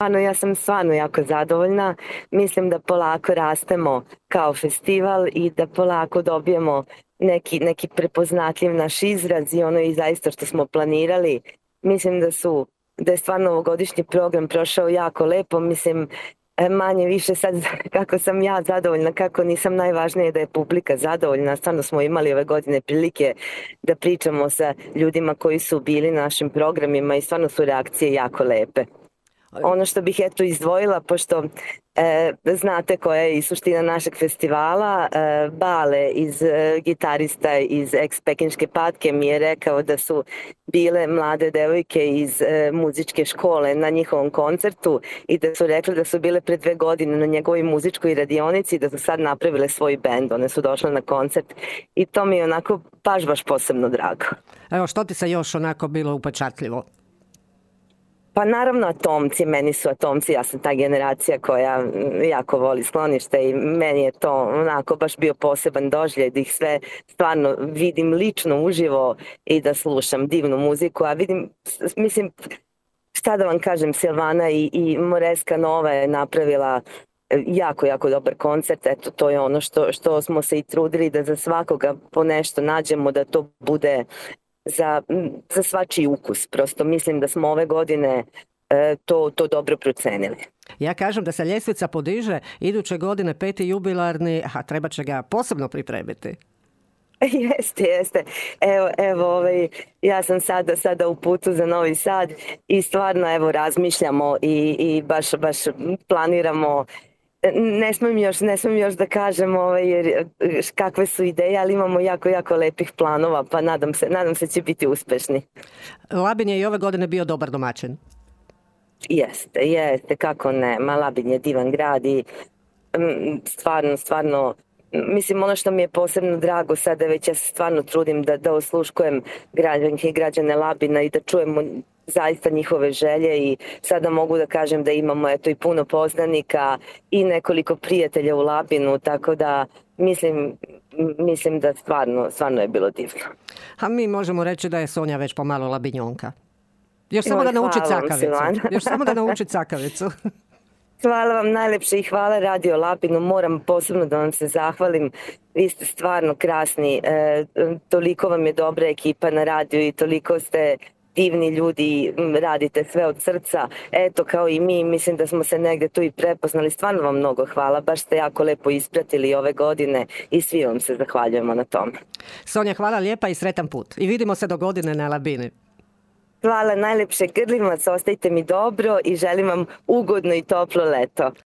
Ja sam stvarno jako zadovoljna. Mislim da polako rastemo kao festival i da polako dobijemo neki prepoznatljiv naš izraz i ono i zaista što smo planirali. Mislim da je stvarno ovogodišnji program prošao jako lepo. Mislim, manje više sad kako sam ja zadovoljna, kako nisam, najvažnije da je publika zadovoljna. Stvarno smo imali ove godine prilike da pričamo sa ljudima koji su bili na našim programima i stvarno su reakcije jako lepe. Ono što bih izdvojila, pošto znate koja je i suština našeg festivala, Bale, gitarista iz ex-Pekinške patke, mi je rekao da su bile mlade devojke iz muzičke škole na njihovom koncertu i da su rekli da su bile pre 2 godine na njegovoj muzičkoj radionici i da su sad napravile svoj bend. One su došle na koncert i to mi je onako baš posebno drago. Evo, što ti se još onako bilo upečatljivo? Pa naravno atomci, meni su atomci, ja sam ta generacija koja jako voli sklonište i meni je to onako baš bio poseban doživljaj da ih sve stvarno vidim lično uživo i da slušam divnu muziku, a mislim, šta da vam kažem, Silvana i Moreska Nova je napravila jako dobar koncert. Eto, to je ono što smo se i trudili da za svakoga po nešto nađemo, da to bude za svačiji ukus. Prosto mislim da smo ove godine to dobro procenili. Ja kažem da se ljestvica podiže iduće godine 5. jubilarni, a treba će ga posebno pripremiti. Jeste. Evo, ja sam sada u putu za Novi Sad i stvarno razmišljamo i baš planiramo. Ne smijem još da kažem kakve su ideje, ali imamo jako lepih planova, pa nadam se će biti uspešni. Labin je i ove godine bio dobar domaćin. Jeste, kako ne. Labin je divan grad i stvarno, mislim, ono što mi je posebno drago sada, već ja se stvarno trudim da osluškujem građanke i građane Labina i da čujemo zaista njihove želje i sada mogu da kažem da imamo i puno poznanika i nekoliko prijatelja u Labinu, tako da mislim da stvarno je bilo divno. A mi možemo reći da je Sonja već pomalo labinjonka. Još samo da nauči cakavicu. Hvala vam najlepše i hvala Radio Labinu. Moram posebno da vam se zahvalim. Vi ste stvarno krasni. Toliko vam je dobra ekipa na radiju i toliko ste divni ljudi, radite sve od srca. Eto, kao i mi, mislim da smo se negde tu i prepoznali. Stvarno vam mnogo hvala. Baš ste jako lepo ispratili ove godine i svi vam se zahvaljujemo na tome. Sonja, hvala lijepa i sretan put. I vidimo se do godine na Labini. Hvala najlepše, Grlimac, ostajte mi dobro i želim vam ugodno i toplo leto.